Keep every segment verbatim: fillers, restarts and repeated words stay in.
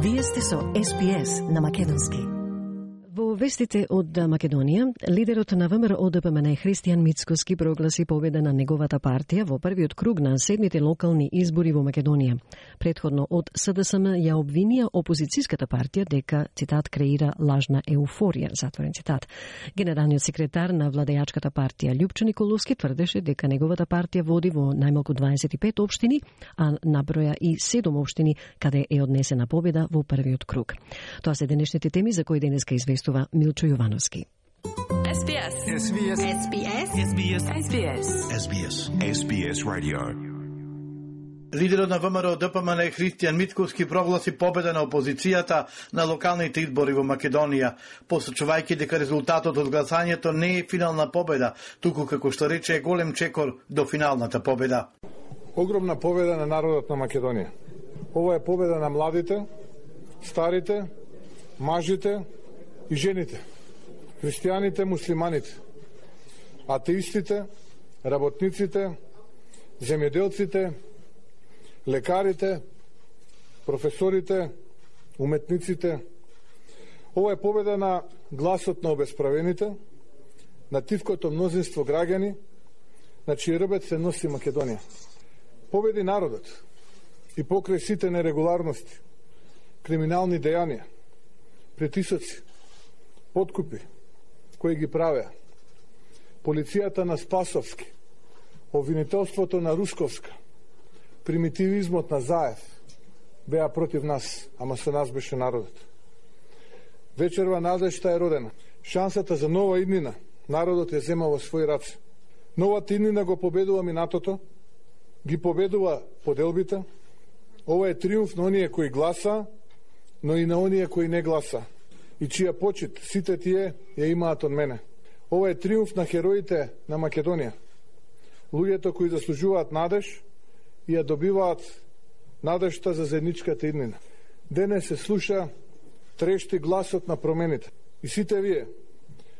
Вие сте со Ес Би Ес на македонски. Во вестите од Македонија, лидерот на ВМРО Д П М Н Христијан Мицкоски прогласи победа на неговата партија во првиот круг на седмите локални избори во Македонија. Предходно од С Д С М ја обвинија опозицијската партија дека, цитат, креира лажна еуфорија, затворен цитат. Генералниот секретар на владејачката партија Љупчо Николовски тврдеше дека неговата партија води во најмалку дваесет и пет општини, а наброја и седум општини каде е однесена победа во првиот круг. Тоа се денешните теми за кои денеска известува Милчо Јовановски. Ес Би Ес. Ес Би Ес. Ес Би Ес. Ес Би Ес. Ес Би Ес. Ес Би Ес. Ес Би Ес Radio. Лидерот на ВМРО Д П М Н Христијан Мицкоски прогласи победа на опозицијата на локалните избори во Македонија, посочувајќи дека резултатот од гласањето не е финална победа, туку како што рече е голем чекор до финалната победа. Огромна победа на народот на Македонија. Ова е победа на младите, старите, мажите и жените, христијаните, муслиманите, атеистите, работниците, земјоделците, лекарите, професорите, уметниците. Ова е победа на гласот на обесправените, на тивкото мнозинство граѓани, на чиј рбет се носи Македонија. Победи народот и покрај сите нерегуларности, криминални дејанија, притисоци, подкупи кои ги правеа, полицијата на Спасовски, обвинителството на Русковска, примитивизмот на Заев беа против нас, ама со нас беше народот. Вечерва надежта е родена. Шансата за нова иднина народот ја зема во своји раце. Новата иднина го победува минатото, ги победува поделбите. Ова е триумф на оние кои гласа, но и на оние кои не гласа, и чија почит сите тие ја имаат од мене. Ова е триумф на хероите на Македонија, луѓето кои заслужуваат надеж и ја добиваат надежта за заедничката иднина. Денес се слуша, трешти гласот на промените. И сите вие,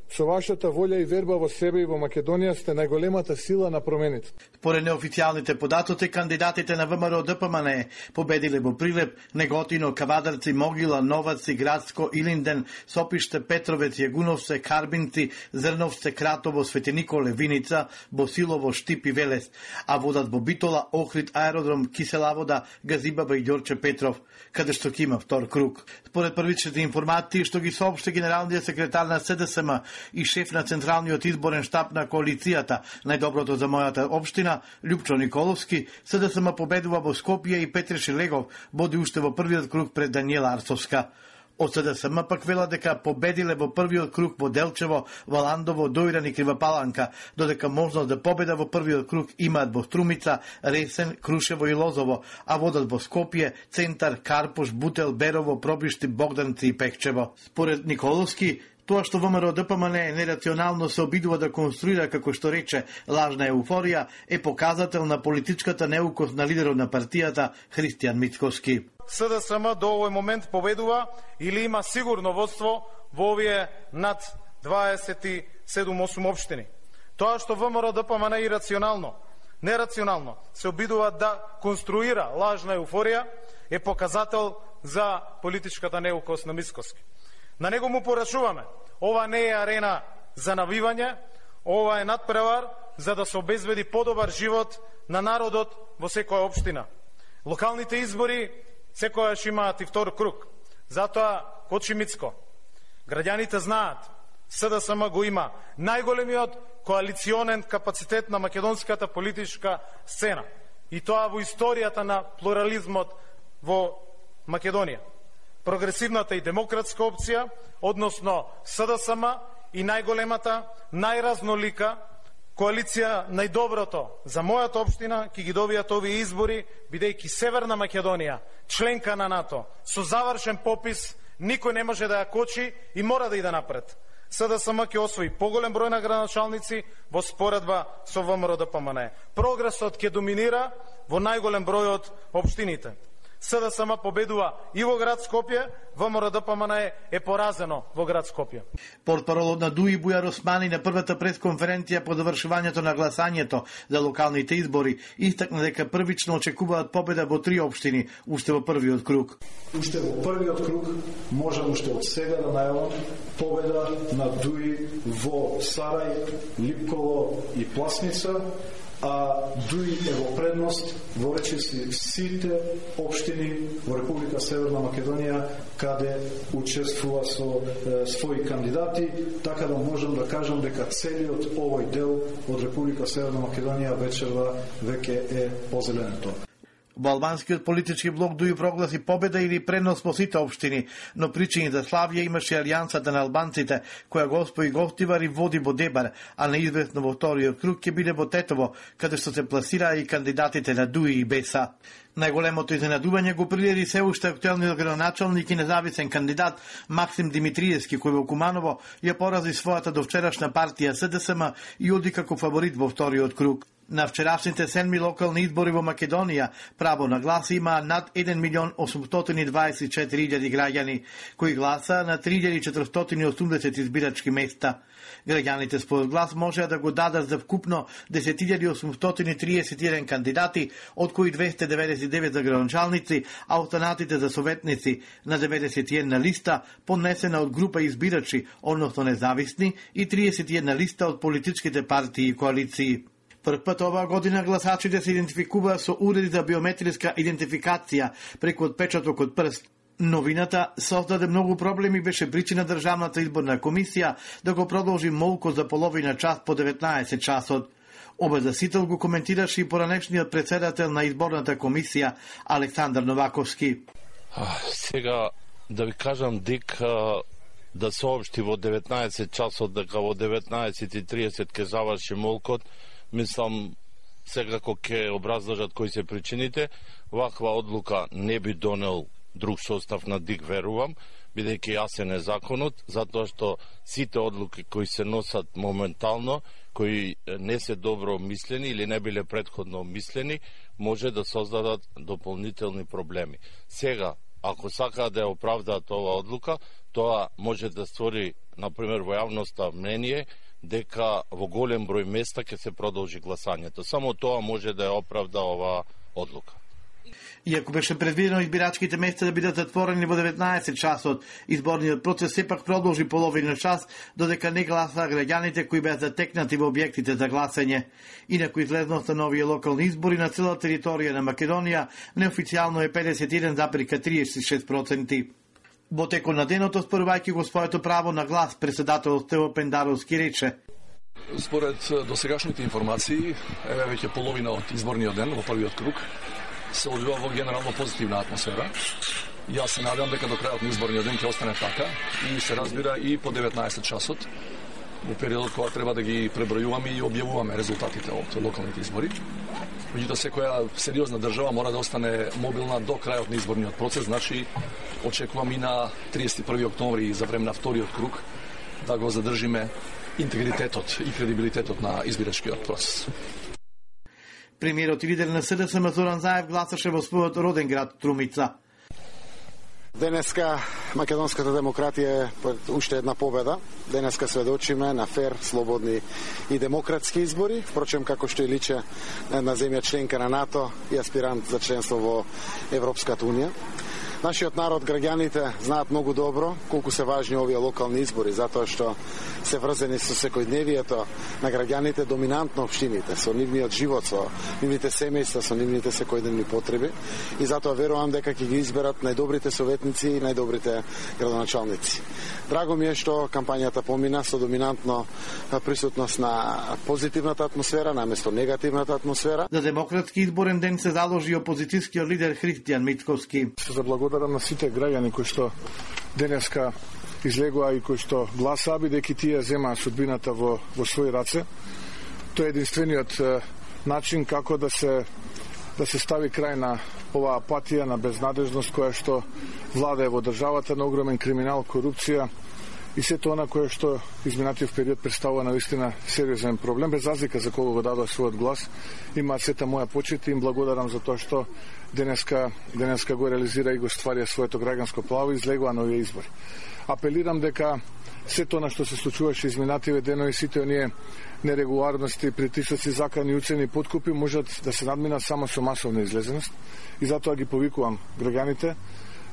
со вашата волја и верба во себе и во Македонија, сте најголемата сила на промените. Според неофицијалните податоци, кандидатите на ВМРО Д П М Н победиле во Прилеп, Неготино, Кавадарци, Могила, Новаци, Градско, Илинден, Сопиште, Петровец, Јагуновце, Карбинци, Зрновце, Кратово, Свети Николе, Виница, Босилово, Штип и Велес, а водат во Битола, Охрид, Аеродром, Киселавода, Газибаба и Ѓорче Петров, каде што ќе има втор круг. Според првичните информации што ги соопшти генералниот секретар на С Д С М и шеф на Централниот изборен штаб на коалицијата Најдоброто за мојата општина, Љупчо Николовски, С Д С М победува во Скопје и Петре Шилегов води уште во првиот круг пред Даниела Арцовска. Од С Д С М пак вела дека победиле во првиот круг во Делчево, Валандово, Дојран и Кривапаланка, додека можност да победа во првиот круг имаат во Струмица, Ресен, Крушево и Лозово, а водат во Скопје, Центар, Карпуш, Бутел, Берово, Пробишти, Богданци и Пекчево. Според Николовски, тоа што ВМРО Д П М Н нерационално се обидува да конструира, како што рече, лажна еуфорија, е показател на политичката неукост на лидерот на партијата Христијан Мицкоски. С Д С М до овој момент победува или има сигурно водство во овие над дваесет и седум осум општини. Тоа што ВМРО Д П М Н ирационално, нерационално се обидува да конструира лажна еуфорија е показател за политичката неукост на Мицкоски. На него му порачуваме. Ова не е арена за навивање, ова е надпревар за да се обезбеди подобар живот на народот во секоја општина. Локалните избори секојаш имаат и втор круг. Затоа кочи Мицко. Граѓаните знаат, С Д С М го има најголемиот коалиционен капацитет на македонската политичка сцена. И тоа во историјата на плурализмот во Македонија. Прогресивната и демократска опција, односно С Д С М и најголемата, најразнолика коалиција најдоброто за мојата општина ќе ги добијат овие избори, бидејќи Северна Македонија, членка на НАТО, со завршен попис, никој не може да ја кочи и мора да иде напред. С Д С М ќе освои поголем број на градоначалници во споредба со ВМРО Д П М Н. Прогресот ќе доминира во најголем број од општините. СДСМ победува и во град Скопје, ВМРО-ДПМН е поразено во град Скопје. Портпаролот на ДУИ Бујар Османи на првата пресконференција по завршувањето на гласањето за локалните избори истакна дека првично очекуваат победа во три општини, уште во првиот круг. Уште во првиот круг можам уште од сега да најавам победа на ДУИ во Сарај, Липково и Пласница, а ДУИ е во предност во речиси сите општини во Република Северна Македонија каде учествува со е, своји кандидати, така да можам да кажам дека целиот овој дел од Република Северна Македонија вечерва веќе е позеленето. Во албанскиот политички блок ДУИ прогласи победа или пренос во сите општини, но причини за славје имаше алијансата на албанците, која го оспои Говтивар и води Бодебар, а неизвестно во вториот круг ќе биде во Тетово, каде што се пласираа и кандидатите на ДУИ и БЕСА. Најголемото изненадување го приреди се уште актуелниот градоначалник и независен кандидат Максим Димитриевски, кој во Куманово ја порази својата довчерашна партија СДСМ и оди како фаворит во вториот круг. На вчерашните седми локални избори во Македонија право на глас има над еден милион осумстотини дваесет и четири илјади граѓани, кои гласа на три илјади четиристотини и осумдесет избирачки места. Граѓаните според глас можеа да го дадат за вкупно десет илјади осумстотини и триесет и еден кандидати, од кои двесте деветдесет и девет за градоначалници, а останатите за советници на деветдесет и една листа, поднесена од група избирачи, односно независни, и триесет и една листа од политичките партии и коалиции. Прв пат оваа година гласачите се идентификуваат со уреди за биометриска идентификација преку отпечаток од прст. Новината создаде многу проблеми, беше причина Државната изборна комисија да го продолжи молко за половина час по деветнаесет часот. Обезасител го коментираше и поранешниот председател на изборната комисија Александар Новаковски. А, сега да ви кажам дека да соопшти во деветнаесет часот дека во деветнаесет и триесет ќе заврши молкот, мислам секако ќе образложат кои се причините. Ваква одлука не би донел друг состав на ДИК, верувам, бидејќи јасен е законот, затоа што сите одлуки кои се носат моментално, кои не се добро мислени или не биле предходно мислени, може да создадат дополнителни проблеми. Сега, ако сакаат да ја оправдаат оваа одлука, тоа може да створи, например, во јавноста мнение дека во голем број места ќе се продолжи гласањето. Само тоа може да ја оправда оваа одлука. Иако беше предвидено избирачките места да бидат затворени во деветнаесет часот, изборниот процес сепак продолжи половина час, додека не гласаа граѓаните кои беа затекнати во објектите за гласање. Инаку излезноста на овие локални избори на цела територија на Македонија неофицијално е педесет и еден зарез триесет и шест проценти. Во текот на денот, оспорувајќи го своето право на глас, председател Стево Пендаровски рече: според досегашните информации, еве веќе половина од изборниот ден во првиот круг се одвива во генерално позитивна атмосфера. Јас се надевам дека до крајот на изборниот ден ќе остане така и се разбира и по деветнаесет часот, во периодот кога треба да ги пребројуваме и објавуваме резултатите од локалните избори. Меѓутоа, секоја сериозна држава мора да остане мобилна до крајот на изборниот процес, значи очекувам и на триесет и први октомври за време на вториот круг да го задржиме интегритетот и кредибилитетот на избирачкиот процес. Премиерот и лидер на СДСМ Зоран Заев гласаше во својот роден град Трумица. Денеска македонската демократија е уште една победа. Денеска сведочиме на фер, слободни и демократски избори. Впрочем, како што и личе на земја членка на НАТО и аспирант за членство во Европската унија. Нашиот народ, граѓаните, знаат многу добро колку се важни овие локални избори, затоа што се врзани со секојдневието на граѓаните, доминантно општините, со нивниот живот, со нивните семејства, со нивните секојдневни потреби. И затоа верувам дека ќе ги изберат најдобрите советници и најдобрите градоначалници. Драго ми е што кампањата помина со доминантно присутност на позитивната атмосфера, наместо негативната атмосфера. За демократски изборен ден се заложи опозицијскиот лидер Христијан Мицковски. Се благодарам на сите граѓани кои што денеска излегува и кои што гласаа, бидејќи тие земаа судбината во, во своји раце. Тоа е единствениот е, начин како да се да се стави крај на оваа апатија, на безнадежност која што владее во државата, на огромен криминал, корупција и сето она кое што изминатиот период представува навистина сериозен проблем, без разлика за кого го дадоа својот глас, има сета моја почит и им благодарам за тоа што денеска, денеска го реализира и го стварија своето граѓанско право и излегува на овие избори. Апелирам дека сето она што се случуваше изминативе денови, сите оние нерегуларности, притисоци, закани, уцени, подкупи можат да се надминат само со масовна излезеност и затоа ги повикувам граѓаните,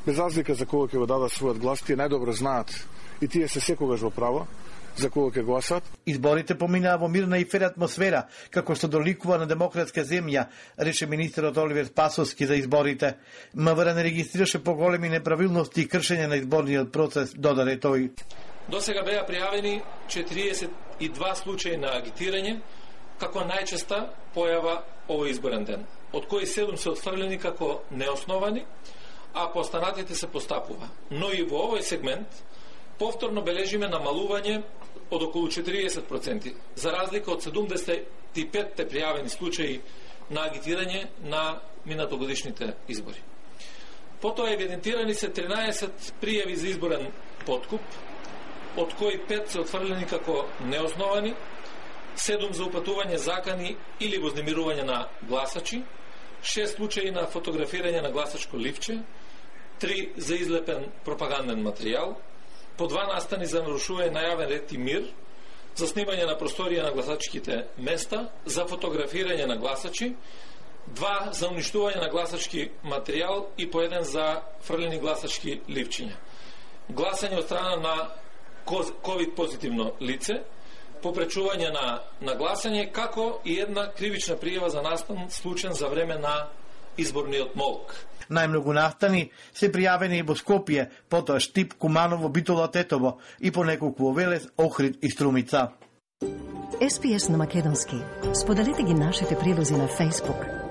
без разлика за кого ќе го дадат својот глас, тие најдобро знаат и тие се секогаш во право за кого ќе гласат. Изборите поминаа во мирна и фер атмосфера, како што доликува на демократска земја, рече министерот Оливер Спасовски за изборите. МВР не регистрираше поголеми неправилности и кршење на изборниот процес, додаде тој. До сега беа пријавени четириесет и два случаи на агитирање, како најчеста појава овој изборен ден, од кои седум се отфрлени како неосновани, а по останатите се постапува. Но и во овој сегмент повторно бележиме намалување од околу четириесет проценти, за разлика од седумдесет и пет пријавени случаи на агитирање на минатогодишните избори. Потоа евидентирани се тринаесет пријави за изборен подкуп, од кои пет се отфрлени како неосновани, седум за упатување закани или вознемирување на гласачи, шест случаи на фотографирање на гласачко ливче, три за излепен пропаганден материјал, по два настани за нарушување на јавен ред и мир, за снимање на просторија на гласачките места, за фотографирање на гласачи, два за уништување на гласачки материјал и по еден за фрлени гласачки ливчиња. Гласање од страна на ковид позитивно лице, попречување на, на гласање, како и една кривична пријава за настан случен за време на изборниот молк. Најмногу настани се пријавени во Скопје, потоа Штип, Куманово, Битола, Тетово и по неколку во Велес, Охрид и Струмица. Ес Би Ес на македонски. Споделете ги нашите прилози на Facebook,